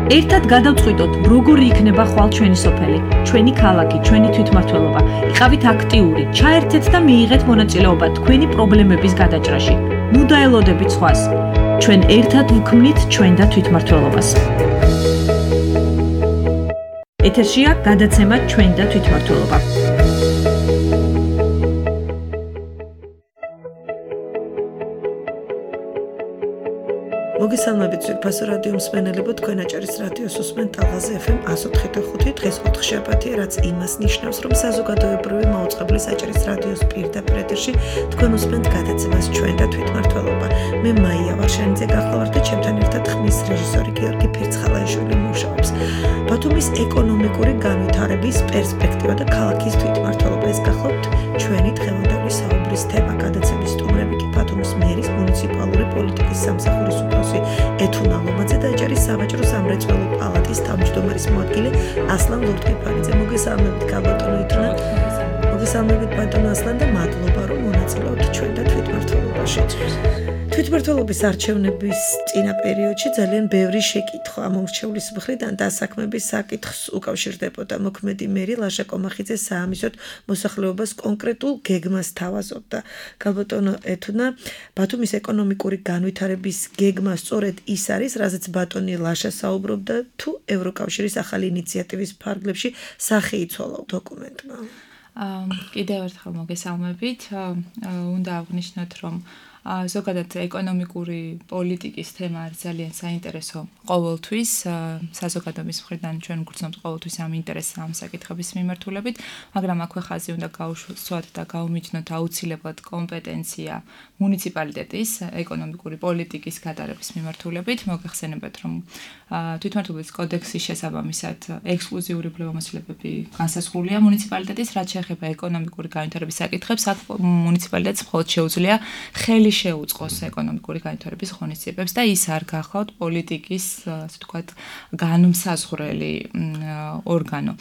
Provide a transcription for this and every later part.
ერთად გადავწყვიტოთ, როგორი იქნება ხვალ ჩვენი სოფელი, ჩვენი ქალაქი, ჩვენი თვითმმართველობა. იყავით აქტიური, ჩაერთეთ და მიიღეთ მონაწილეობა თქვენი პრობლემების გადაჭრაში. ნუ დაელოდებით სხვას. ჩვენ ერთად ვქმნით ჩვენ და თვითმმართველობას. ეთერშია გადაცემა ჩვენ და თვითმმართველობა. მოგესალმებით ძვირფასო რადიო მსმენელებო, თქვენ აჭარის რადიოს უსმენთ ტალღაზე FM 104.5, დღეს 4 შაბათია, რაც იმას ნიშნავს, რომ საზოგადოებრივი მაუწყებლის აჭარის რადიოს პირდაპირ ეთერში თქვენ უსმენთ გადაცემას ჩვენ და თვითმმართველობა. მე მაია ვარშანიძე გახლავართ და ჩემთან ერთად ხმის რეჟისორი გიორგი ფირცხალაიშვილი მუშაობს. ბათუმის ეკონომიკური განვითარების პერსპექტივა და ქალაქის თვითმმართველობა, ეს გახლავთ ჩვენი დღევანდელი საუბრის თემა. გადაცემის სტუმრები კი ბათუმის მერის მუნიციპალური პოლიტიკის სამსახურის უფროსი ეთუნა ლომაძე და აჭარის სავაჭრო სამრეწველო პალატის თავმჯდომარის მოადგილე ასლან ლურტკიფანიძე. მოგესალმებით გაბატონო ეთუნა. მოგესალმებით ბატონო ასლან და მადლობა რომ მონაწილეობთ ჩვენ და თვითმმართველობაში. თვითმმართველობის არჩევნების წინა პერიოდში ძალიან ბევრი შეკითხვა მომრჩევლის მხრიდან დასაქმების საკითხს უკავშირდებოდა. მოქმედი მერი ლაშა კომახიძე საამისოდ მოსახლეობას კონკრეტულ გეგმას თავაზობდა. გაბატონო ეთუნა, ბათუმის ეკონომიკური განვითარების გეგმა სწორედ ის არის, რაზეც ბატონი ლაშა საუბრობდა, თუ ევროკავშირის ახალი ინიციატივის ფარგლებში სახე იცვალა დოკუმენტმა? კიდევ ერთხელ მოგესალმებით. უნდა აღნიშნოთ, რომ ზოგადად ეკონომიკური პოლიტიკის თემა არის ძალიან საინტერესო ყოველთვის. საზოგადოების მხრიდან ჩვენ გვგრძნობთ ყოველთვის ამ ინტერესს ამ საკითხების მიმართულებით, მაგრამ აქვე ხაზი უნდა გაუსვათ და გაუმიჯნოთ აუცილებლად კომპეტენცია მუნიციპალიტეტის ეკონომიკური პოლიტიკის გატარების მიმართულებით. მოგეხსენებათ, რომ თვითმმართველობის კოდექსის შესაბამისად ექსკლუზიური უფლებამოსილებები განსაზღვრულია მუნიციპალიტეტის, რაც შეეხება ეკონომიკური განვითარების საკითხებს. აქ მუნიციპალიტეტს მხოლოდ შეუძლია ხელი შეუწყოს ეკონომიკური განვითარების ღონისძიებებს და ის არ გახლავთ პოლიტიკის, ასე ვთქვათ, განმსაზღვრელი ორგანო.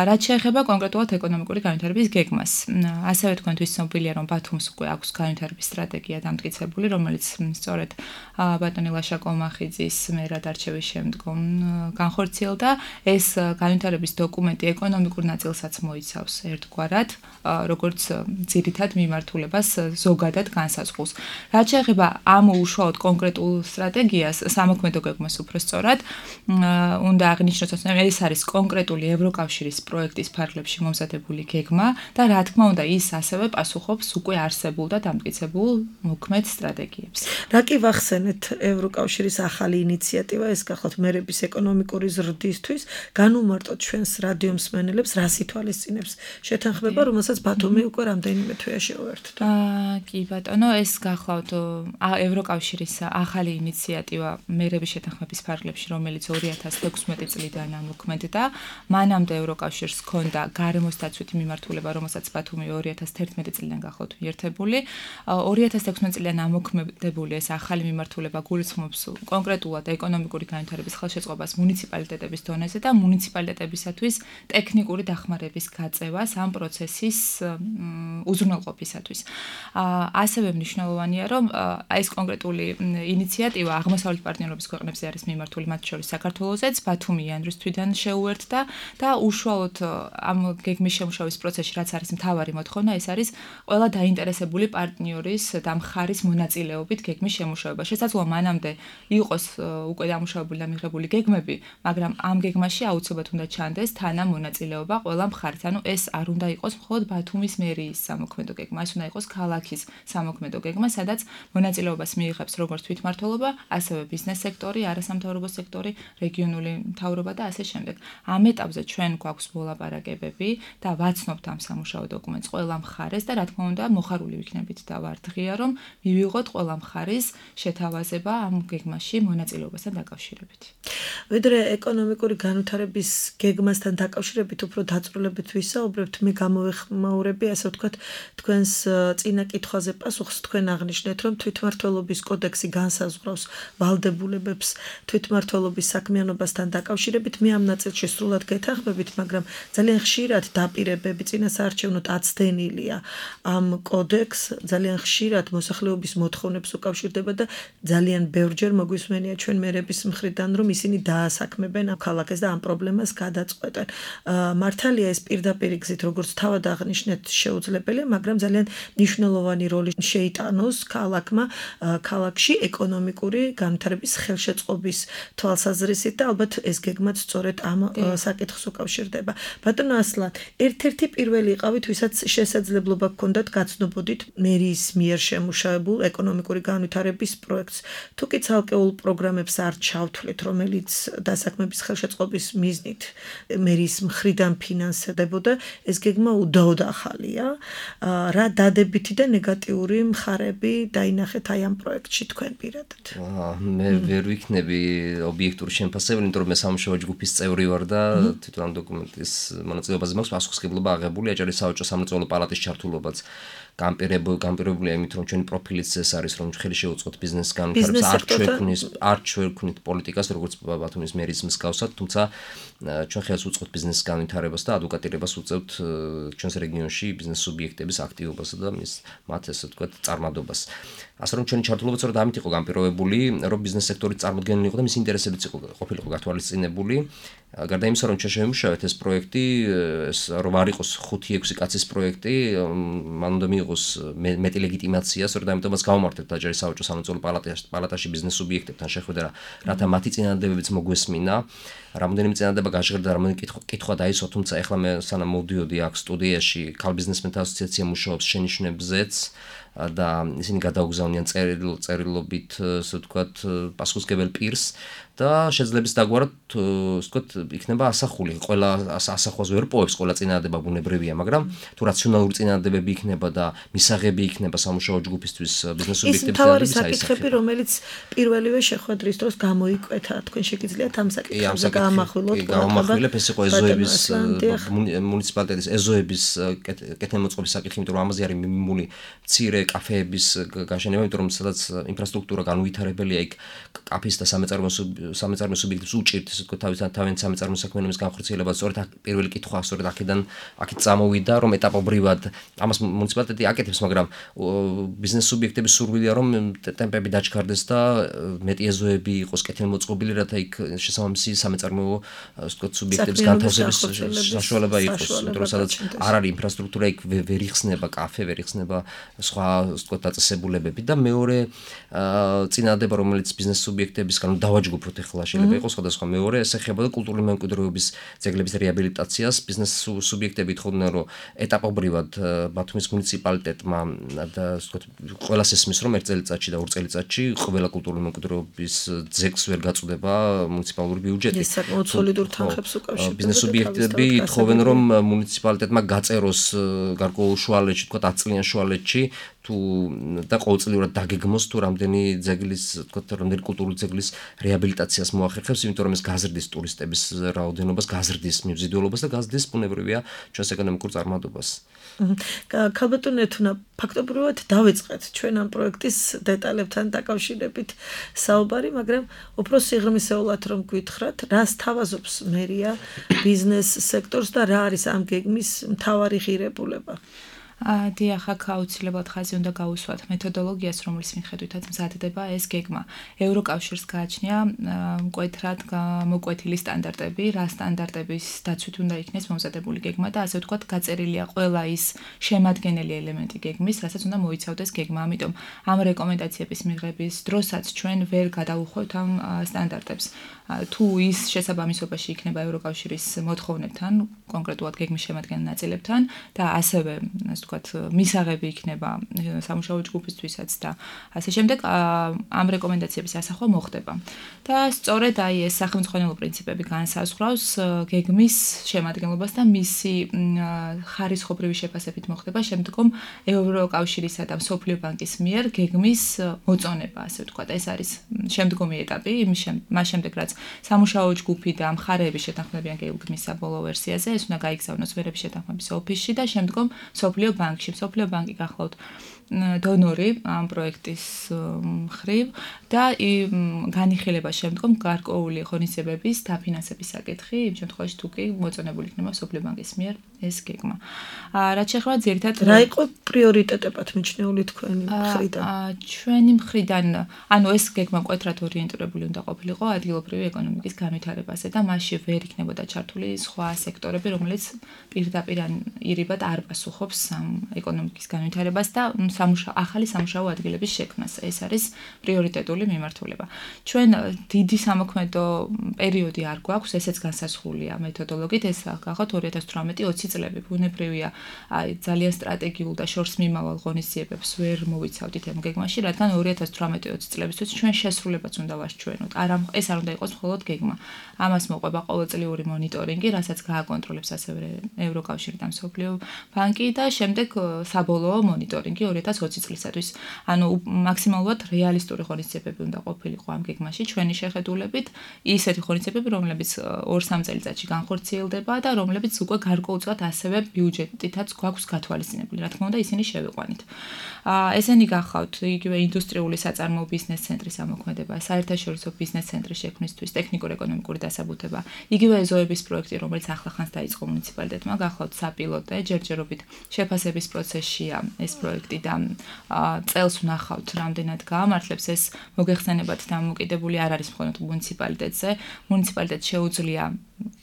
რაც შეეხება კონკრეტულად ეკონომიკური განვითარების გეგმას. ასევე თქვენთვის ცნობილია, რომ ბათუმს უკვე აქვს განვითარების სტრატეგია დამტკიცებული, რომელიც სწორედ ბატონი ლაშა კომახიძის მერად არჩევის შემდგომ განხორციელდა. ეს განვითარების დოკუმენტი ეკონომიკურ ნაწილსაც მოიცავს ერთგვარად, როგორც ძირითად მიმართულებას ზოგადად განსაზღვრავს. რაც შეეხება ამ უშუალოდ კონკრეტულ სტრატეგიას, სამოქმედო გეგმას უფრო სწორად, უნდა აღნიშნოთ, რომ ეს არის კონკრეტული ევროკავშირის პროექტის ფარგლებში მომზადებული გეგმა და რა თქმა უნდა, ის ასევე პასუხობს უკვე არსებულ და დამტკიცებულ მოქმედ სტრატეგიებს. რა კი ვახსენეთ ევროკავშირის ახალი ინიციატივა, ეს გახლავთ მერების ეკონომიკური ზრდისთვის, განუმარტოთ ჩვენს რადიო მსმენელებს, რას ითვალისწინებს შეთანხმება, რომელსაც ბათუმი უკვე რამდენიმე თვეაში უერთდა. კი ბატონო, ეს გახლავთ ევროკავშირის ახალი ინიციატივა მერების შეთანხმების ფარგლებში, რომელიც 2016 წლიდან მოქმედდა. მანამდე ევროკავშირს ჰქონდა გარემოს დაცვითი მიმართულება, რომელსაც ბათუმი 2011 წლიდან გახლავთ მიერთებული. 2016 წლიდან ამოქმედებული ეს ახალი მიმართულება გულისხმობს კონკრეტულად ეკონომიკური განვითარების ხელშეწყობას მუნიციპალიტეტების დონეზე და მუნიციპალიტეტებისათვის ტექნიკური დახმარების გაწევას ამ პროცესის უზრუნველყოფისათვის. ასევე მნიშვნელოვანია, რომ ეს კონკრეტული ინიციატივა აღმოსავლეთ პარტნიორობის ქვეყნებზე არის მიმართული, მათ შორის საქართველოსაც, ბათუმი იანვრის თვიდან შეუერთდა და უშუალოდ ამ გეგმის შემუშავის პროცესში, რაც არის მთავარი მოთხოვნა, ეს არის ყველა დაინტერესებული პარტნიორის და მხარის მონაწილეობით გეგმის შემუშავება. შესაძლოა მანამდე იყოს უკვე დამუშავებული და მიღებული გეგმები, მაგრამ ამ გეგმაში აუცილებლად უნდა ჩანდეს თანამონაწილეობა ყველა მხარის. ანუ ეს არ უნდა იყოს მხოლოდ ბათუმის მერიის სამოქმედო გეგმა, ეს უნდა იყოს ქალაქის სამოქმედო გეგმა, სადაც მონაწილეობას მიიღებს როგორც თვითმმართველობა, ასევე ბიზნეს სექტორი, არასამთავრობო სექტორი, რეგიონული მთავრობა და ასე შემდეგ. ამ ეტაპზე ჩვენ გვაქვს მოლაპარაკებები და ვაცნობთ ამ სამუშაო დოკუმენტს ყველა მხარეს და რა თქმა უნდა, მოხარული ვიქნებით და ვართ ღია, რომ მივიღოთ ყველა მხარის შეთავაზება ამ გეგმაში მონაწილეობასთან დაკავშირებით. ვიდრე ეკონომიკური განვითარების გეგმასთან დაკავშირებით უფრო დაწვრილებით ვისაუბრებთ, მე გამოვეხმაურები, ასე ვთქვათ, თქვენს წინა კითხვაზე პასუხს. თქვენ აღნიშნეთ, რომ თვითმმართველობის კოდექსი განსაზღვრავს ვალდებულებებს თვითმმართველობის საქმიანობასთან დაკავშირებით. მე ამ ნაწილში სრულად გეთანხმებით, მაგრამ ძალიან ხშირად დაპირებები წინასაარჩევნოდ აცდენილია ამ კოდექს, ძალიან ხშირად მოსახლეობის მოთხოვნებს უკავშირდება და ძალიან ბევრჯერ მოგვისმენია ჩვენ მერების მხრიდან, რომ ისინი დაასაქმებენ ამ ქალაქეს და ამ პრობლემას გადაწყვეტენ. მართალია ეს პირდაპირ გზით როგორც თავად აღნიშნეთ შეუძლებელია, მაგრამ ძალიან მნიშვნელოვანი როლი შეიტანოს ქალაქში ეკონომიკური განვითარების ხელშეწყობის თვალსაზრისით და ალბათ ეს გეგმაც სწორედ ამ საკითხს უკავშირდება. ბატონო ასლან, ერთ-ერთი პირველი იყავით, ვისაც შესაძლებლობა ჰქონდათ გაცნობოდით მერიის მიერ შემუშავებულ ეკონომიკური განვითარების პროექტს. თუ კი ცალკეულ პროგრამებს არ ჩავთვლით, რომელიც დასაქმების ხელშეწყობის მიზნით მერიის მხრიდან ფინანსდებოდა, ეს გეგმა უდაოდ ახალია. რა დადებითი და ნეგატიური მხარები დაინახეთ აი ამ პროექტში თქვენ პირადად? მე ვერ ვიქნები ობიექტური შემფასებელი, იმიტომ რომ მე სამუშაო ჯგუფის წევრი ვარ და თვითონ ამ დოკუმენტის მონაწილეობაზე მაქვს პასუხისმგებლობა აღებული აჭარის საოჯო სამრეწველო პალატის ჩართულობაც. გამპირებულია იმით, რომ ჩვენი პროფილიც ეს არის, რომ ხელი შეუწყოთ ბიზნეს განვითარებას, არ ჩვენქვით პოლიტიკას, როგორც ბათუმის მერის მსგავსად, თუმცა ჩვენ ხელს უწყობთ ბიზნეს განვითარებას და ადვოკატირებას უწევთ ჩვენს რეგიონში ბიზნეს სუბიექტების აქტივობასა და მათ ესე ვთქვათ წარმადობას. ასე რომ ჩვენი ჩართულობა სწორედ ამით იყო განპირობებული, რომ ბიზნეს სექტორი წარმოდგენილი იყო და მის ინტერესებიც ყოფილიყო გათვალისწინებული. გარდა იმისა, რომ ჩვენ შევიმუშავეთ ეს პროექტი, რომ არ იყოს 5-6 კაცის პროექტი, მან უნდა მიიღოს მეტი ლეგიტიმაცია, სწორედ ამიტომაც გავმართეთ აჭარის საოჯო სამრეწველო პალატაში ბიზნეს სუბიექტებთან შეხვედრა, რათა მათი წინადადებებიც მოგვესმინა. რამოდენიმე წინადადება გაჟღერდა, რამოდენიმე კითხვა დაისვა, თუმცა ეხლა მე სანამ მოვდიოდი აქ სტუდიაში, ქალ ბიზნესმენთა ასოციაცია მუშაობს შენიშვნებზეც და ისინი გადაუგზავნიან წერილობით, ასე ვთქვათ, პასუხისმგებელ პირს და შეძლებს დაგვარად, ასე ვთქვათ, იქნება ასახული. ყველა ასახვას ვერ პოვებს, ყველა წინადადება ბუნებრივია, მაგრამ თუ რაციონალური წინადადებები იქნება და მისაღები იქნება სამუშაო ჯგუფისთვის ბიზნეს სუბიექტების თავარი საკითხები, რომელიც პირველივე შეხვედრის დროს გამოიკვეთა, თქვენ შეგიძლიათ ამ საკითხებზე გაამახვილოთ? გავამახვილებ, ეს იყო ეზოების მუნიციპალიტეტის ეზოების კეთილმოწყობის საკითხი, იმიტომ რომ ამაზე არის მიმული მცირე კაფეების გაშენება, იმიტომ რომ სადაც ინფრასტრუქტურა განუვითარებელია, იქ კაფის და სამეწარმეო სუბიექტებს უჭირთ, ესე ვთქვათ, თავიანთი სამეწარმეო საქმიანობის განხორციელება, სწორედ პირველი კითხვა სწორედ აქეთ წამოვიდა, რომ ეტაპობრივად ამას მუნიციპალიტეტი აკეთებს, მაგრამ ბიზნეს სუბიექტების სურვილია, რომ ტემპები დაჩქარდეს და მეტი ეზოები იყოს კეთილმოწყობილი, რათა იქ შესაბამისი სამეწარმეო, ასე ვთქვათ, სუბიექტების განთავსების საშუალება იყოს, იმიტომ რომ სადაც არ არის ინფრასტრუქტურა, იქ ვერ იხსნება კაფე, ვერ იხსნება სხვა, ასე ვთქვათ, დაწესებულებები და მეორე წინადადება, რომელიც ბიზნეს სუბიექტებისგან დავაჯგუფოთ ახლა შეიძლება იყოს სხვადასხვა. მეორე ეს ეხებოდა კულტურული მემკვიდრეობის ძეგლების რეაბილიტაციას. ბიზნეს სუბიექტები ეთხოვდნენ, რომ ეტაპობრივად ბათუმის მუნიციპალიტეტმა და ასე ვთქვათ, ყველას ესმის, რომ 1 წელიწადში და 2 წელიწადში ყველა კულტურული მემკვიდრეობის ძეგლს ვერ გაწუდება მუნიციპალური ბიუჯეტი. ეს საკმაოდ სოლიდურ თანხებს უკავშირდება. ბიზნეს სუბიექტები ეთხოვენ, რომ მუნიციპალიტეტმა გაწეროს გარკვეულ შუალედში, ვთქვათ, 10 წლიან შუალედში და ყოველწლიურად დაგეგმოს თუ რამდენი ძეგლის, ვთქვათ, რამდენი კულტურული ძეგლის რეაბილიტაციას მოახერხებს, იმიტომ რომ ეს გაზრდის ტურისტების რაოდენობას, გაზრდის მიმზიდველობას და გაზრდის ბუნებრივია ჩვენს ეკონომიკურ წარმატებას. ქალბატონო ეთუნა, ფაქტობრივად დავიწყეთ ჩვენ ამ პროექტის დეტალებთან დაკავშირებით საუბარი, მაგრამ უფრო სიღრმისეულად რომ გვითხრათ, რას თავაზობს მერია ბიზნეს სექტორს და რა არის ამ გეგმის მთავარი ღირებულება? დიახ, აქ აუცილებლად ხაზი უნდა გაუსვათ მეთოდოლოგიას, რომლის მიხედვითაც მზადდება ეს გეგმა. ევროკავშირს გააჩნია მკვეთრად მოკვეთილი სტანდარტები, რა სტანდარტების დაცვით უნდა იქნეს მომზადებული გეგმა და ასე ვთქვათ, გაწერილია ყველა ის შემადგენელი ელემენტი გეგმის, რასაც უნდა მოიცავდეს გეგმა. ამიტომ ამ რეკომენდაციების მიღების დროსაც ჩვენ ვერ გადავუხვევთ ამ სტანდარტებს. თუ ის შესაბამისობაში იქნება ევროკავშირის მოთხოვნებთან, კონკრეტულად გეგმის შემადგენელ ნაწილებთან და ასევე, ასე ვთქვათ, მისაღები იქნება სამუშაო ჯგუფისთვისაც და ასე შემდეგ, ამ რეკომენდაციების ასახვა მოხდება. და სწორედ აი ეს სახელმწიფო პრინციპები განსაზღვრავს გეგმის შემადგენლობას და მისი ხარისხობრივი შეფასებით მოხდება შემდგომ ევროკავშირისა და მსოფლიო ბანკის მიერ გეგმის მოწონება, ასე ვთქვათ. ეს არის შემდგომი ეტაპი, მას შემდეგ რაც სამუშაო ჯგუფი და მხარეები შეთანხმებიან გეგმის საბოლოო ვერსიაზე, ეს უნდა გაიგზავნოს ვერების შეთანხმების ოფისში და შემდგომ მსოფლიო ბანკში. მსოფლიო ბანკი გახლავთ დონორი ამ პროექტის მხრივ და განიხილება შემდგომ გარკვეული ღონისძიებების დაფინანსების საკითხი, იმ შემთხვევაში თუ კი მოწონებული იქნება სოფლიო ბანკის მიერ ეს გეგმა. რაც შეეხება ძირითადად რა იყო პრიორიტეტებად მიჩნეული თქვენი მხრიდან? ჩვენი მხრიდან, ანუ ეს გეგმა მკვეთრად ორიენტირებული უნდა ყოფილიყო ადგილობრივი ეკონომიკის განვითარებაზე და მასში ვერ იქნებოდა ჩართული სხვა სექტორები, რომელიც პირდაპირ ირიბად არ პასუხობს ეკონომიკის განვითარებას და ახალი სამუშაო ადგილების შექმნას. ეს არის პრიორიტეტული მიმართულება. ჩვენ დიდი სამოქმედო პერიოდი არ გვაქვს, ესეც განსაზღვრულია მეთოდოლოგიით, ეს გახოთ 2018-20 წლები. ბუნებრივია, ძალიან სტრატეგიულ და შორს მიმავალ ღონისძიებებს ვერ მოვიცავდით ამ გეგმაში, რადგან 2018-20 წლებისთვის ჩვენ შესრულებას უნდა ვარჩევოთ. ეს არ უნდა იყოს მხოლოდ გეგმა. ამას მოყვება ყოველწლიური მონიტორინგი, რასაც გააკონტროლებს ასევე ევროკავშირი და მსოფლიო ბანკი და შემდეგ საბოლოო მონიტორინგი 2020 წლისათვის. ანუ მაქსიმალურად რეალისტური ღონისძიებები უნდა ყოფილიყო ამ გეგმაში ჩვენი შეხედულებით, ისეთი ღონისძიებები, რომლებიც 2-3 წელიწადში განხორციელდება და რომლებიც უკვე გარკვეულწილად ასევე ბიუჯეტითაც გვაქვს გათვალისწინებული. რა თქმა უნდა, ისინი შევიყვანით. ესენი გახავთ იგივე ინდუსტრიული საწარმოო ბიზნეს ცენტრის ამოქმედება, საერთაშორისო ბიზნეს ცენტრის შექმნისთვის ტექნიკურ-ეკონომიკური დასაბუთება, იგივე ეზოების პროექტი, რომელიც ახლახანს დაიწყო მუნიციპალიტეტმა, გახავთ საპილოტე, ჯერჯერობით შეფასების პროცესშია ეს პროექტი და წელს ვნახავთ, რამდენად გაამართლებს ეს მოგეხსენებათ დამოკიდებული არ არის მხოლოდ მუნიციპალიტეტზე. მუნიციპალიტეტს შეუძლია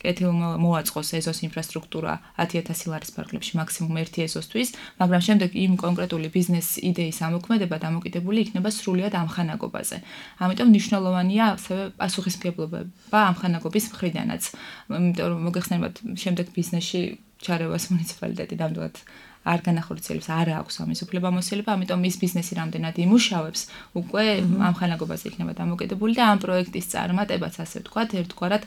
კეთილმოაწყოს ეზოს ინფრასტრუქტურა 10,000 ლარის ფარგლებში მაქსიმუმ 1 ეზოსთვის, მაგრამ შემდეგ იმ კონკრეტული ბიზნეს იდეის ამოქმედება დამოკიდებული იქნება სრულიად ამხანაგობაზე. ამიტომ მნიშვნელოვანია ასევე პასუხისმგებლობა ამხანაგობის მხრიდანაც. იმიტომ რომ მოგეხსენებათ, შემდეგ ბიზნესში ჩარევას მუნიციპალიტეტი ნამდვილად არ განახორციელებს, არ აქვს ამის უფლებამოსილება, ამიტომ ის ბიზნესი რამდენად იმუშავებს, უკვე ამხანაგობაზე იქნება დამოკიდებული და ამ პროექტის წარმატებაც, ასე ვთქვათ, ერთგვარად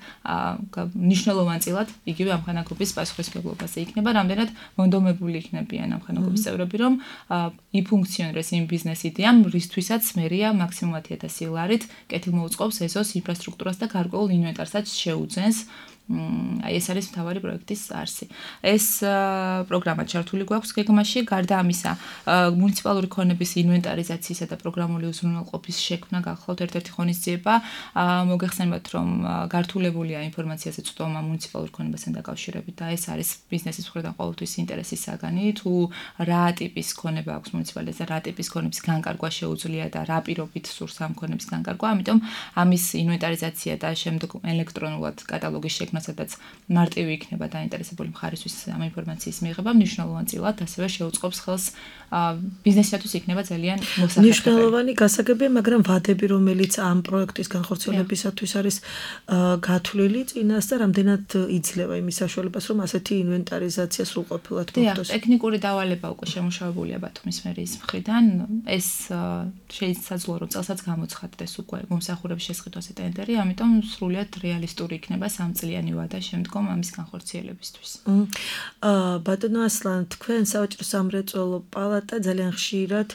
მნიშვნელოვანწილად იგივე ამხანაგობის პასუხისმგებლობაზე იქნება, რამდენად მონდომებული იქნებიან ამხანაგობის წევრები, რომ იფუნქციონირდეს იმ ბიზნეს იდეამ, რისთვისაც მერია მაქსიმუმ 10,000 ლარით კეთილმოუწყობს ეზოს ინფრასტრუქტურას და გარკვეულ ინვენტარსაც შეუძენს. ეს არის მთავარი პროექტის არსი. ეს პროგრამა ჩართული გვაქვს გეგმაში, გარდა ამისა, მუნიციპალური ქონების ინვენტარიზაციისა და პროგრამული უზრუნველყოფის შექმნა გახლავთ ერთ-ერთი ღონისძიება. მოგეხსენებათ, რომ გართულებულია ინფორმაციაზე წვდომა მუნიციპალურ ქონებასთან დაკავშირებით და ეს არის ბიზნესის მხრიდან ყოველთვის ინტერესის საგანი, თუ რა ტიპის ქონება აქვს მუნიციპალიტეტს და რა ტიპის ქონების განკარგვა შეუძლია და რა პირობით სურს ამ ქონების განკარგვა, ამიტომ ამის ინვენტარიზაცია და შემდეგ ელექტრონულად კატალოგის შექმნა სადაც მარტივი იქნება დაინტერესებული მხარისთვის ამ ინფორმაციის მიღება, მნიშვნელოვანწილად ასევე შეუწყობს ხელს ბიზნესისათვის იქნება ძალიან მოსახერხებელი. მნიშვნელოვანი გასაგებია, მაგრამ ვადები, რომელიც ამ პროექტის განხორციელებისათვის არის გათვლილი წინას და რამდენად იძლევა იმის საშუალებას, რომ ასეთი ინვენტარიზაცია სრულყოფილად მოხდეს. ტექნიკური დავალება უკვე შემუშავებულია ბათუმის მერიის მხრიდან. ეს შეიძლება რომ წელსაც გამოცხადდეს უკვე მომსახურების შესყიდვაზე ტენდერი, ამიტომ სრულიად რეალისტური იქნება 3 წლიანი ვადა შემდგომ ამის განხორციელებისთვის. ბატონო ასლან, თქვენ სავაჭრო სამრეწველო პალატა ძალიან ხშირად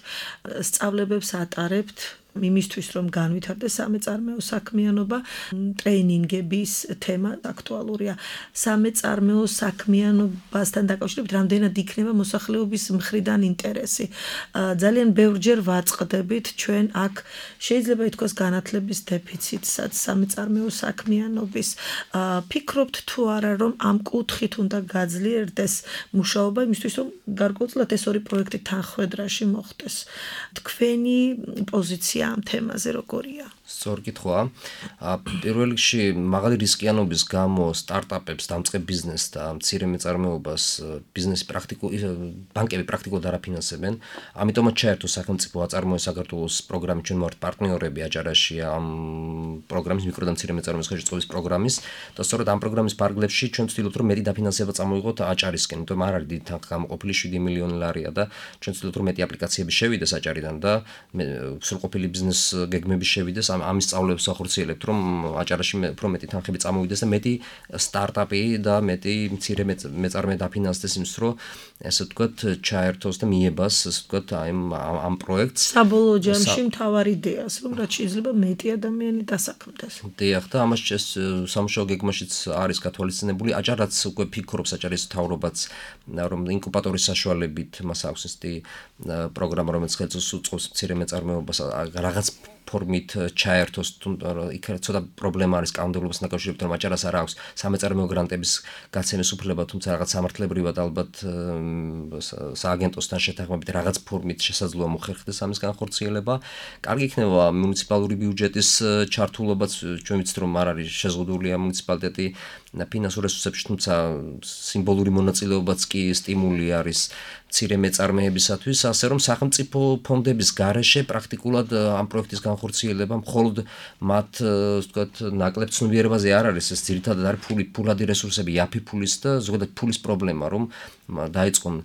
სწავლებებს ატარებთ იმისთვის, რომ განვითარდეს სამეწარმეო საქმიანობა, ტრეინინგების თემა აქტუალურია. სამეწარმეო საქმიანობასთან დაკავშირებით რამდენად იქნება მოსახლეობის მხრიდან ინტერესი. ძალიან ბევრჯერ ვაწყდებით ჩვენ აქ შეიძლება ითქვას განათლების დეფიციტსაც სამეწარმეო საქმიანობის. ფიქრობთ თუ არა, რომ ამ კუთხით უნდა გაძლიერდეს მუშაობა იმისთვის, რომ გარკვეულწილად ეს ორი პროექტი თანხვედრაში მოხდეს. თქვენი პოზიცია ამ თემაზე როგორია? სწორი კითხვაა. პირველ რიგში მაღალი რისკიანობის გამო სტარტაპებს, დამწყებ ბიზნესს და მცირე მეწარმეობას ბიზნესი ბანკები პრაქტიკულად არ აფინანსებენ. ამიტომაც ჩაერთო სახელმწიფო აწარმოო საქართველოს პროგრამით, ჩვენ ვართ პარტნიორები აჭარაში ამ პროგრამის მიკრო და მცირე მეწარმეობის ხელშეწყობის პროგრამის და სწორედ ამ პროგრამის ფარგლებში ჩვენ ვცდილობთ, რომ მეტი დაფინანსება წამოიღოთ აჭარისკენ, იმიტომ არ არის დიდი თანხა გამოყოფილი 7 მილიონი ლარია და ჩვენ ვცდილობთ, რომ მეტი აპლიკაციები შევიდეს აჭარიდან და სრულყოფილი ბიზნეს გეგმები შევიდეს ამის სწავლებს ახორციელებთ, რომ აჭარაში უფრო მეტი თანხები წამოვიდეს და მეტი სტარტაპი და მეტი მცირე მეწარმე დაფინანსდეს იმის, რომ ესე ვთქვათ, ჩაერთოს და მიებას, ესე ვთქვათ, ამ პროექტს. საბოლოო ჯამში მთავარი იდეას, რომ რაც შეიძლება მეტი ადამიანი დასაქმდეს. დიახ, და ამას სამუშაო გეგმაშიც არის გათვალისწინებული. აჭარაც უკვე ფიქრობს, აჭარის მთავრობაც, რომ ინკუბატორის საშუალებით მას აქვს ისეთი პროგრამა, რომელიც ხელს უწყობს მცირე მეწარმეობას რაღაც ფორმით ჩაერთოს, იქ ცოტა პრობლემა არის კანონმდებლობასთან დაკავშირებით, რომ აჭარას არ აქვს სამეწარმეო გრანტების გაცემის უფლება, თუმცა რაღაც სამართლებრივად ალბათ სააგენტოსთან შეთანხმებით რაღაც ფორმით შესაძლოა მოხერხდეს ამის განხორციელება. კარგი იქნება მუნიციპალური ბიუჯეტის ჩართულობაც, ჩვენ ვიცით, რომ არ არის შეზღუდულია მუნიციპალიტეტი ფინანსურ რესურსებში, თუმცა სიმბოლური მონაწილეობაც კი სტიმული არის მცირე მეწარმეებისათვის, ასე რომ სახელმწიფო ფონდების გარეშე პრაქტიკულად ამ პროექტის განხორციელება მხოლოდ მათ, ვთქვათ, ნაკლებ ცნობიერებაზე არ არის, ეს ძირითადად არის ფულადი რესურსები, იაფი ფულის და ზოგადად ფულის პრობლემა, რომ დაიწყონ,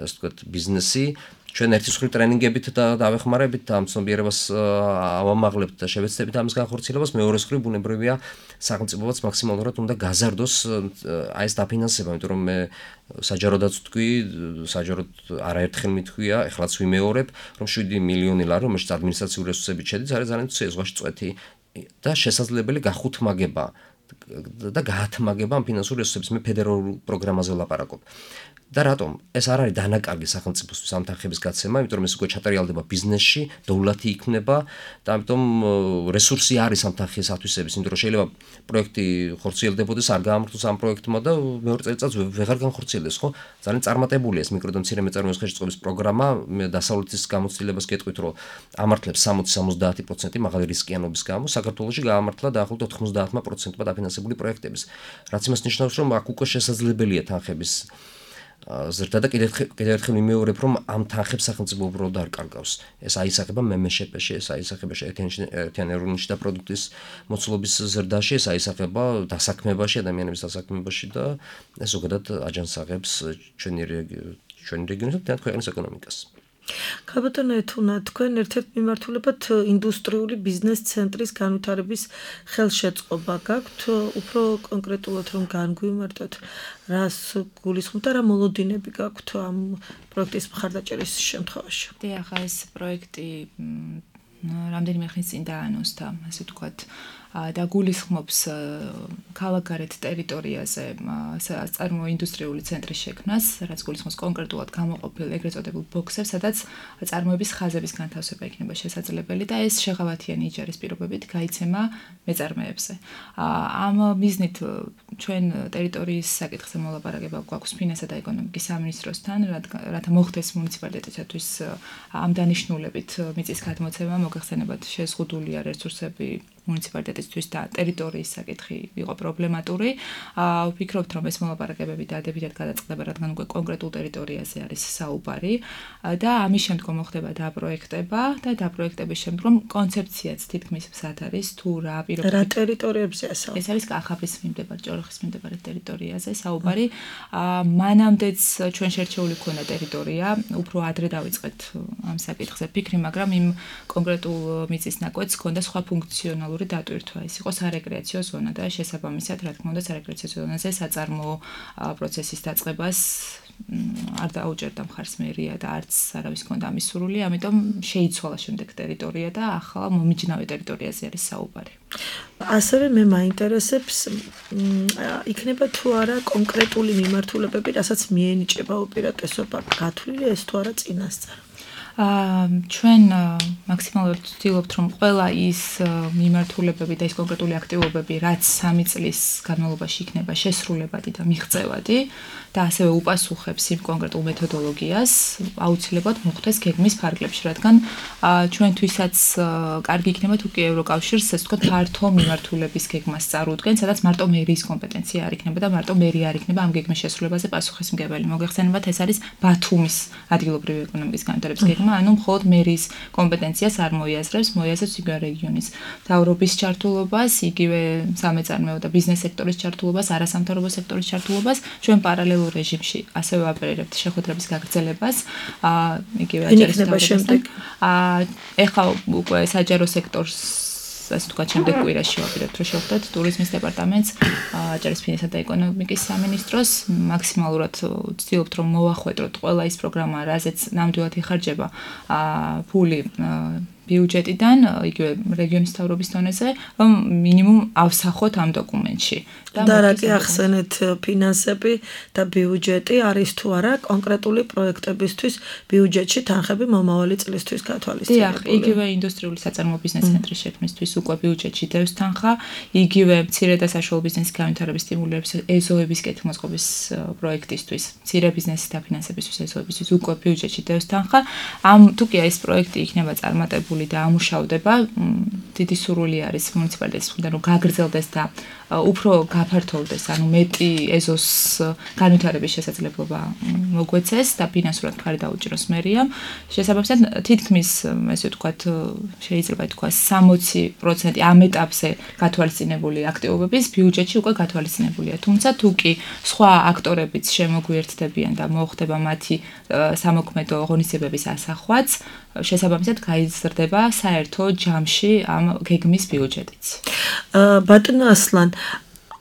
ასე ვთქვათ, ბიზნესი. ჩვენ ერთი მსხვილი ტრენინგებით და დავეხმარებით და ამ ცნობიერებას ავამაღლებთ და შევეცდებით ამის განხორციელებას. მეორე მხრივ ბუნებრივია სახელმწიფოც მაქსიმალურად უნდა გაზარდოს აი ეს დაფინანსება, იმიტომ რომ მე საჯაროდაც ვთქვი, საჯაროდ არაერთხელ მithქვია, ეხლაც ვიმეორებ, რომ 7 მილიონი ლარი, რომელშიც ადმინისტრაციული რესურსები შედის, არის ძალიან ზღვაში წვეთი და შესაძლებელი გახუთმაგება და გაათმაგება ამ ფინანსური რესურსების. მე ფედერალურ პროგრამაზე ვლაპარაკობ. და რატომ? ეს არ არის დანაკარგი სახელმწიფოსთვის ამ თანხების გაცემა, იმიტომ რომ ეს უკვე ჩატარიალდება ბიზნესში, დოვლათი იქნება და ამიტომ რესურსი არის ამ თანხის ათვისების, იმიტომ რომ შეიძლება პროექტი ხორციელდებოდეს, არ გაამართლოს ამ პროექტმა და მეორე წელიწადს ვეღარ განხორციელდეს, ხო? ძალიან წარმატებულია ეს მიკრო და მცირე მეწარმეობის ხელშეწყობის პროგრამა. მე დასავლეთის გამოცდილებას გეტყვით, რომ ამართლებს 60-70% მაღალი რისკიანობის გამო, საქართველოში გაამართლა დაახლოებით 90%-მა დაფინანსებული პროექტების. რაც იმას ნიშნავს, რომ აქ უკვე შესაძლებელია თანხების ზრდა და კიდევ ერთხელ მიმეორებ, რომ ამ თანხებს სახელმწიფო უბრალოდ არ კარგავს. ეს აისახება მემეშეპეში, ეს აისახება ერთიანი ეროვნული შიდა პროდუქტის მოცულობის ზრდაში, ეს აისახება დასაქმებაში, ადამიანების დასაქმებაში და ეს ზოგადად აჯანსაღებს ჩვენი რეგიონის და ქვეყნის ეკონომიკას. ქაბატონო ეთუნა, თქვენ ერთ-ერთ მიმართულებად ინდუსტრიული ბიზნეს ცენტრის განვითარების ხელშეწყობა გაქვთ, უფრო კონკრეტულად რომ განგვიმარტოთ, რას გულისხმობთ და რა მოლოდინები გაქვთ ამ პროექტის მხარდაჭერის შემთხვევაში? დიახ, ეს პროექტი რამდენიმე ხნის წინ დაანონსდა, ასე ვთქვათ, და გულისხმობს ქალაქგარეთ ტერიტორიაზე საწარმოო ინდუსტრიული ცენტრის შექმნას, რაც გულისხმობს კონკრეტულად გამოყოფილ ეგრეთ წოდებულ ბოქსებს, სადაც წარმოების ხაზების განთავსება იქნება შესაძლებელი და ეს შეღავათიანი იჯარის პირობებით გაიცემა მეწარმეებზე. ამ მიზნით ჩვენ ტერიტორიის საკითხზე მოლაპარაკება გვაქვს ფინანსთა და ეკონომიკის სამინისტროსთან, რათა მოხდეს მუნიციპალიტეტისათვის ამ დანიშნულებით მიწის გადმოცემა, მოგეხსენებათ, შეზღუდულია რესურსები მუნიციპალიტეტისთვის და ტერიტორიის საკითხი იყო პრობლემატური. ვფიქრობთ, რომ ეს მოლაპარაკებები დადებითად გადაწყდება, რადგან უკვე კონკრეტულ ტერიტორიაზე არის საუბარი და ამის შემდგომ მოხდება დაპროექტება და დაპროექტების შემდგომ კონცეფციაც თითქმის მზად არის, თუ რა პირობებით. რა ტერიტორიებზეა საუბარი? ეს არის კახაბრის მიმდებარე, ჭოროხის მიმდებარე ტერიტორიაზე საუბარი. მანამდეც ჩვენ შერჩეული ქონა ტერიტორია, უფრო ადრე დავიწყეთ ამ საკითხზე ფიქრი, მაგრამ იმ კონკრეტულ მიწის ნაკვეთს ჰქონდა სხვა ფუნქციონალური დატვირთვა. ეს იყო სარეკრეაციო ზონა და შესაბამისად, რა თქმა უნდა, სარეკრეაციო ზონაზე საწარმოო პროცესის დაწყებას არ დაუჭერდა მხარს მერია და არც არავის ჰქონდა ამის სურვილი, ამიტომ შეიცვალა შემდეგ ტერიტორია და ახლა მომიჯნავე ტერიტორიაზე არის საუბარი. ასევე მე მაინტერესებს, იქნება თუ არა კონკრეტული მიმართულებები, რასაც მიენიჭება უპირატესობა, გათვლილი ეს თუ არა წინასწარ? ჩვენ მაქსიმალურად ვცდილობთ, რომ ყველა ის მიმართულებები და ის კონკრეტული აქტივობები, რაც 3 წლის განმავლობაში იქნება შესრულებადი და მიღწევადი და ასევე უპასუხებს იმ კონკრეტულ მეთოდოლოგიას, აუცილებლად მოხდეს გეგმის ფარგლებში, რადგან ჩვენთვისაც კარგი იქნება თუ კი ევროკავშირს, ასე ვთქვათ, ფართო მიმართულების გეგმას წარუდგენ, სადაც მარტო მერის კომპეტენცია არ იქნება და მარტო მერი არ იქნება ამ გეგმის შესრულებაზე პასუხისმგებელი. მოგეხსენებათ, ეს არის ბათუმის ადგილობრივი ეკონომიკის განვითარების გეგმა, ანუ მხოლოდ მერის კომპეტენციას არ მოიაზრებს, მოიაზრებს იგივე რეგიონის მთავრობის ჩართულობას, იგივე სამეწარმეო და ბიზნეს სექტორის ჩართულობას, არასამთავრობო სექტორის ჩართულობას, ჩვენ პარალელურ რეჟიმში ასევე ვაპარებთ შეხვედრების გაგრძელებას, იგივე აჭარის შემდეგ. ეხლა უკვე საჯარო სექტორს ასე ვთქვათ, შემდეგ კვირაში ვაპირებთ, რომ შევხვდეთ ტურიზმის დეპარტამენტს, ჭარბშინისა და ეკონომიკის სამინისტროს, მაქსიმალურად ვცდილობთ, რომ მოვახვედროთ ყველა ის პროგრამა, რაზეც ნამდვილად იხარჯება ფული ბიუჯეტიდან, იგივე რეგიონის მთავრობის დონეზე, რომ მინიმუმ ავსახოთ ამ დოკუმენტში. და რა კი ახსენეთ ფინანსები და ბიუჯეტი არის თუ არა კონკრეტული პროექტებისთვის ბიუჯეტში თანხები მომავალი წლისთვის გათვალისწინებული. დიახ, იგივე ინდუსტრიული საწარმოო ბიზნეს ცენტრის შექმნისთვის უკვე ბიუჯეტში დევს თანხა, იგივე მცირე და საშუალო ბიზნესის განვითარების სტიმულირების ეზოების კეთილმოწყობის პროექტისთვის, მცირე ბიზნესის დაფინანსებისთვის ეზოებისთვის უკვე ბიუჯეტში დევს თანხა. ამ თუ კი ეს პროექტი იქნება წარმატებული და ამუშავდება, დიდი სურვილი არის მუნიციპალიტეტის მხრიდან, რომ გაგრძელდეს და უფრო გაფართოვდეს, ანუ მეტი ეზოს განვითარების შესაძლებლობა მოგვეცეს და ფინანსურად მხარი დაუჭიროს მერიამ. შესაბამისად, თითქმის, ესე ვთქვათ, შეიძლება ითქვას 60% ამ ეტაპზე გათვალისწინებული აქტივობების ბიუჯეტში უკვე გათვალისწინებულია. თუმცა თუ კი სხვა აქტორებიც შემოგვიერთდებიან და მოხდება მათი სამოქმედო ღონისძიებების ასახვაც, შესაბამისად გაიზრდება საერთო ჯამში ამ გეგმის ბიუჯეტიც. ბატონო ასლან,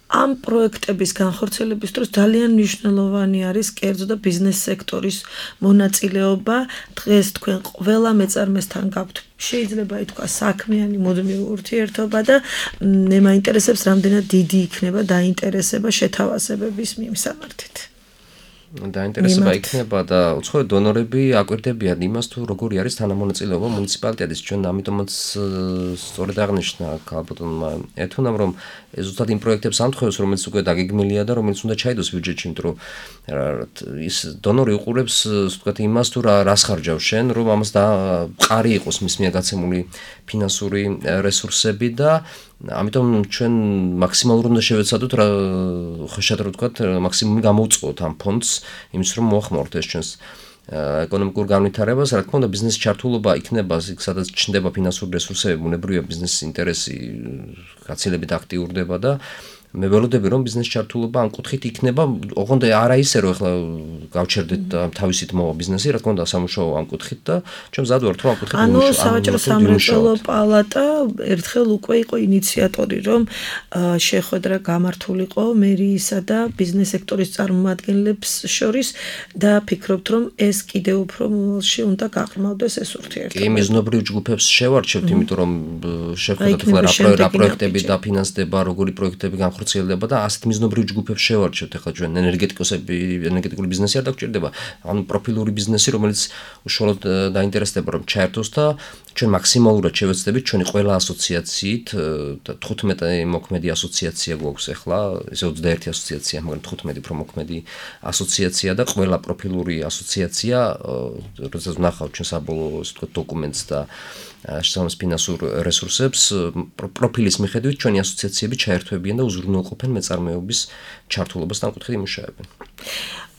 ამ პროექტების განხორციელების დროს ძალიან მნიშვნელოვანი არის კერძო და ბიზნეს სექტორის მონაწილეობა. დღეს თქვენ ყველა მეწარმესთან გაქვთ შეიძლება ითქვას საქმიანი მუდმივი ურთიერთობა და მე მაინტერესებს რამდენად დიდი იქნება დაინტერესება შეთავაზებების მიმსამართით. დაინტერესება იქნება და უცხოელი დონორები აკვირდებიან იმას თუ როგორი არის თანამონაწილეობა მუნიციპალიტეტის. ჩვენ ამიტომაც სწორედ აღნიშნა ქალბატონმა ეთუნამ, რომ ზუსტად იმ პროექტებს ამთხოვებს, რომელიც უკვე დაგეგმილია და რომელიც უნდა ჩაიდოს ბიუჯეტში, იმიტომ რომ ის დონორი უყურებს, ასე ვთქვათ, იმას თუ რას ხარჯავ შენ, რომ ამას და მყარი იყოს მის მიერ გაცემული ფინანსური რესურსები და ამიტომ ჩვენ მაქსიმალურად უნდა შევეცადოთ რა ხშირად რა ვთქვათ, მაქსიმუმი გამოვწყოთ ამ ფონდს, იმის რომ მოახმაროთ ეს ჩვენს ეკონომიკურ განვითარებას, რა თქმა უნდა, ბიზნესის ჩართულობა იქნება, სადაც ჩნდება ფინანსური რესურსები, ბუნებრივია ბიზნესის ინტერესი გაცილებით აქტიურდება და მე ველოდები რომ ბიზნესის ჩართულობა ამ კუთხით იქნება, ოღონდ არა ისე რომ ახლა გავჩერდეთ და თავისით მოვა ბიზნესი, რა თქმა უნდა, სამუშაო ამ კუთხით და ჩვენ მზად ვართ რომ ამ კუთხით ანუ სავაჭრო სამრეწველო პალატა ერთხელ უკვე იყო ინიციატორი, რომ შეხვედრა გამართულიყო მერიისა და ბიზნეს სექტორის წარმომადგენლებს შორის და ფიქრობთ რომ ეს კიდევ უფრო მომავალში უნდა გაყრმავდეს ეს ურთიერთობა. კი, მიზნობრივ ჯგუფებს შევარჩევთ, იმიტომ რომ შეხვედრით რა პროექტები დაფინანსდება, როგორი პროექტები ხორციელდება და ასეთ მიზნობრივ ჯგუფებს შევარჩევთ. ახლა ჩვენ ენერგეტიკული ბიზნესი არ დაგჭირდება, ანუ პროფილური ბიზნესი, რომელიც უშუალოდ დაინტერესდება რომ ჩაერთოს და ჩვენ მაქსიმალურად შევეცდებით ჩვენი ყველა ასოციაციით, 15 მოქმედი ასოციაცია გვაქვს ახლა, ესე 21 ასოციაცია, მაგრამ 15 პრომოქმედი ასოციაცია და ყველა პროფილური ასოციაცია, როდესაც ვნახავთ ჩვენ საბოლოო ასე ვთქვათ დოკუმენტს და შესაბამის ფინანსურ რესურსებს, პროფილის მიხედვით ჩვენი ასოციაციები ჩაერთვებიან და უზრუნველყოფენ მეწარმეობის ჩართულობას და ამ კუთხით იმუშავებენ.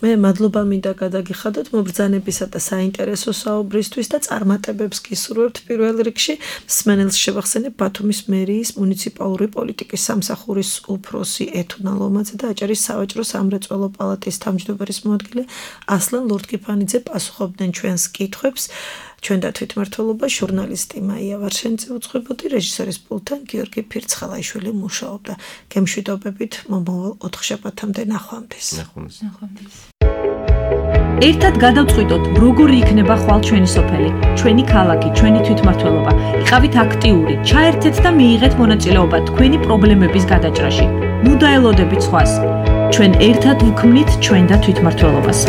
მე მადლობა მინდა გადაგიხადოთ მობრძანებისა და საინტერესო საუბრისთვის და წარმატებებს გისურვებთ პირველ რიგში. მსმენელს შევახსენებ ბათუმის მერიის მუნიციპალური პოლიტიკის სამსახურის უფროსი ეთუნა ლომაძე და აჭარის სავაჭრო სამრეწველო პალატის თავმჯდომარის მოადგილე ასლან ლორთქიფანიძე პასუხობდნენ ჩვენს კითხვებს. ჩვენ და თვითმმართველობა ჟურნალისტი მაია ვარშენიძე უწყებოდი, რეჟისორის პულტთან გიორგი ფირცხალაიშვილი მუშაობდა. გემშვიდობებით მომავალ 4 შაბათამდე ნახვამდის. ერთად გადავწყვიტოთ, როგორი იქნება ხვალ ჩვენი სოფელი, ჩვენი ქალაქი, ჩვენი თვითმმართველობა. იყავით აქტიური, ჩაერთეთ და მიიღეთ მონაწილეობა თქვენი პრობლემების გადაჭრაში. ნუ დაელოდებით სხვას. ჩვენ ერთად ვქმნით ჩვენ და თვითმმართველობას.